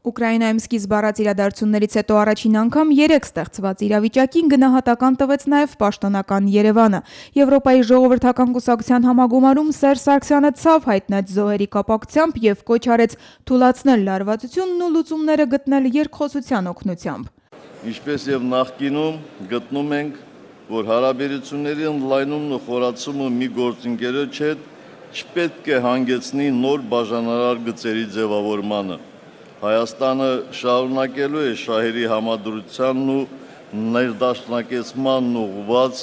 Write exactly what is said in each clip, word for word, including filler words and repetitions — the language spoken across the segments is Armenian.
Ուկրաինայում սկիզբ առած իրադարձություններից հետո առաջին անգամ երեք ստեղծված իրավիճակին գնահատական տվեց նաև պաշտոնական Երևանը։ Եվրոպայի ժողովրդական կուսակցության համագումարում Սերժ Սարգսյանը ցավ հայտնեց զոհերի կապակցությամբ եւ կոչ արեց թուլացնել լարվածությունն ու լուծումները գտնել երկխոսության օգնությամբ։ Ինչպես եւ նախկինում գտնում ենք, որ հարաբերությունների ընդլայնումն ու խորացումը մի գործընկերոջ հետ չպետք է հանգեցնի նոր բաժանարար գծերի ձևավորմանը։ Հայաստանը շարունակելու է շահերի համադրությանն ու ներդաշնակեցմանն ուղղված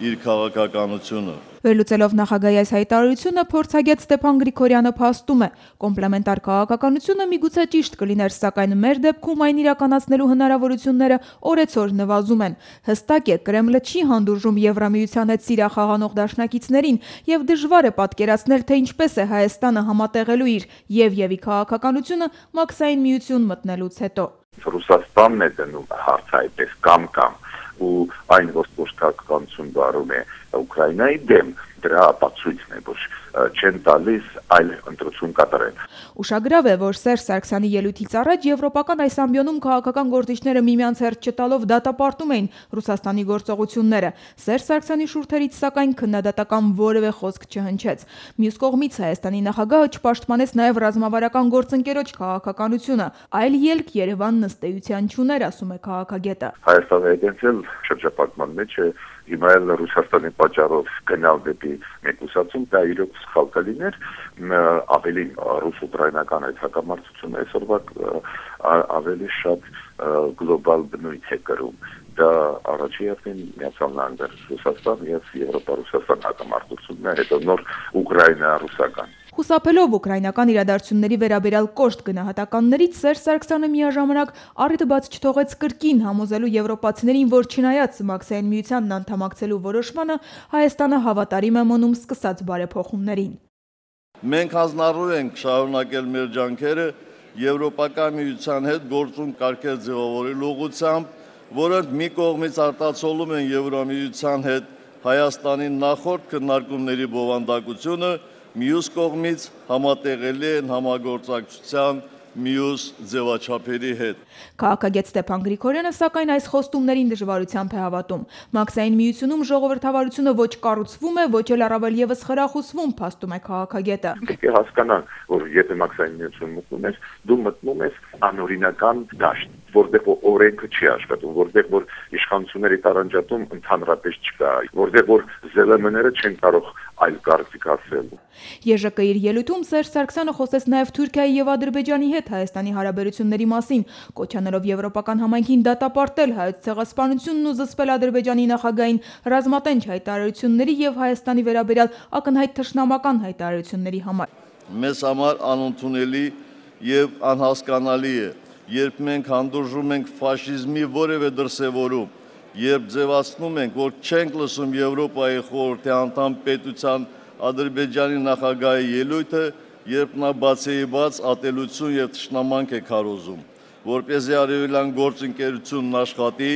իր քաղաքականությունը։ Վերլուծելով նախագահի այս հայտարարությունը, փորձագետ Ստեփան Գրիգորյանը փաստում է, կոմպլեմենտար քաղաքականությունը միգուցե ճիշտ կլիներ, սակայն մեր դեպքում այն իրականացնելու հնարավորությունները օրեցօր նվազում են։ Հստակ է, Կրեմլը չի հանդուրժում Եվրամիության հետ սիրախաղանող դաշնակիցներին եւ դժվար է պատկերացնել, թե ինչպես է Հայաստանը համատեղելու իր եւ-եւի քաղաքականությունը մաքսային միություն մտնելուց հետո։ Ռուսաստանն է դնում հարց այդպես կամ-կամ ու այն որ քաղաքականություն վարում է Ուկրաինայի դեմ, դրա ապացույցն է, որ չեն տալիս այլ ընտրություն կատարել։ Ուշագրավ է, որ Սերժ Սարգսյանի ելույթից առաջ եվրոպական այս ամբիոնում քաղաքական գործիչները միմյանց հերթ չտալով դատապարտում էին Ռուսաստանի գործողությունները։ Սերժ Սարգսյանի շուրթերից սակայն քննադատական որևէ խոսք չհնչեց։ Մյուս կողմից Հայաստանի նախագահը չպաշտպանեց նաև ռազմավարական գործընկերոջ քաղաքականությունը, այլ ելք Երևանն ըստ էության չուներ, ասում է քաղաքագետը։ Հայաստանը այդպես շրջապատման մեջ է, հիմա էլ Ռուսաստանի պատճառով գնալ դեպի մեկուսացում, դա իրոք սխալ կլիներ, ավելի ռուս-ուկրաինական այդ հակամարտությունը այսօրվա ավելի շատ գլոբալ բնույթ է կրում։ Դա առաջի հերթին Միացյալ Նահանգներ Ռուսաստան եւ Եվրոպա-Ռուսաստան հակամարտությունն է, հետո նոր Ուկրաինա-ռուսական։ Խուսափելով ուկրաինական իրադարձությունների վերաբերյալ կոշտ գնահատականներից, Սերժ Սարգսյանը միաժամանակ առիթ բաց չթողեց կրկին համոզելու եվրոպացիներին, որ չնայած մաքսային միությանն անդամակցելու որոշմանը, Հայաստանը հավատարիմ է մնում սկսած բարեփոխումներին։ Մենք հանձնառու ենք շարունակել մեր ջանքերը Եվրոպական միության հետ գործուն կարգեր ձևավորելու ուղղությամբ, որոնք մի կողմից արտացոլում են Եվրամիության հետ Հայաստանի նախորդ քննարկումների բովանդակությունը, մյուս կողմից համատեղելի են համագործակցության մյուս ձևաչափերի հետ։ Քաղաքագետ Ստեփան Գրիգորյանը սակայն այս խոստումներին դժվարությամբ է հավատում։ Մաքսային միությունում ժողովրդավարությունը ոչ կառուցվում է, ոչ էլ առավել եւս խրախուսվում, փաստում է քաղաքագետը։ Պետք է հասկանալ, որ եթե մաքսային միություն մտնում ես, դու մտնում ես անօրինական դաշտ, որտեղ օրենքը չի աշխատում, որտեղ որ իշխանությունների տարանջատում ընդհանրապես չկա, որտեղ որ ԶԼՄ-ները չեն կարող այլ կարծիք ասել։ ԵԺԿ իր ելույթում Սերժ Սարգսյանը խոսեց նաև Թուրքիայի եւ Ադրբեջանի հետ Հայաստանի հարաբերությունների մասին, կոչանելով եվրոպական համայնքին դատապարտել հայոց ցեղասպանությունն ու զսպել Ադրբեջանի նախագահին ռազմատենչ հայտարարությունների եւ Հայաստանի վերաբերյալ ակնհայտ թշնամական հայտարարությունների համար։ Մեզ համար անընդունելի եւ անհասկանալի է, երբ մենք հանդուրժում ենք ֆաշիզմի որևէ դրսևորում, երբ ձևացնում ենք, որ չենք լսում Եվրոպայի խորհրդի անդամ պետության Ադրբեջանի նախագահի ելույթը, երբ նա բացեիբաց ատելություն եւ թշնամանք է քարոզում, որպեսզի արևելյան գործընկերությունն աշխատի,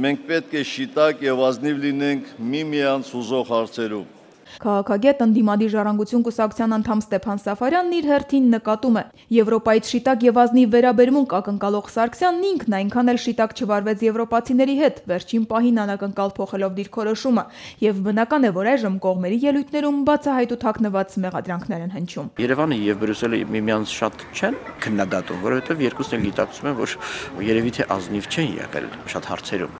մենք պետք է շիտակ եւ ազնիվ լինենք միմյանց հուզող հարցերում։ Քաղաքագետ ընդդիմադիր ժառանգություն կուսակցության անդամ Ստեփան Սաֆարյանն իր հերթին նկատում է. Եվրոպայից շիտակ եւ ազնիվ վերաբերմունք ակնկալող Սարգսյանն ինքն այնքան էլ շիտակ չվարվեց եվրոպացիների հետ, վերջին պահին անակնկալ փոխելով դիրքորոշումը, եւ բնական է, որ այժմ կողմերի ելույթներում բացահայտ ու թաքնված մեղադրանքներ են հնչում։ Երևանը եւ Բրյուսելը միմյանց շատ չեն քննադատում, որովհետեւ երկուսն էլ գիտակցում են, որ երևի թե ազնիվ չեն եղել շատ հարցերում։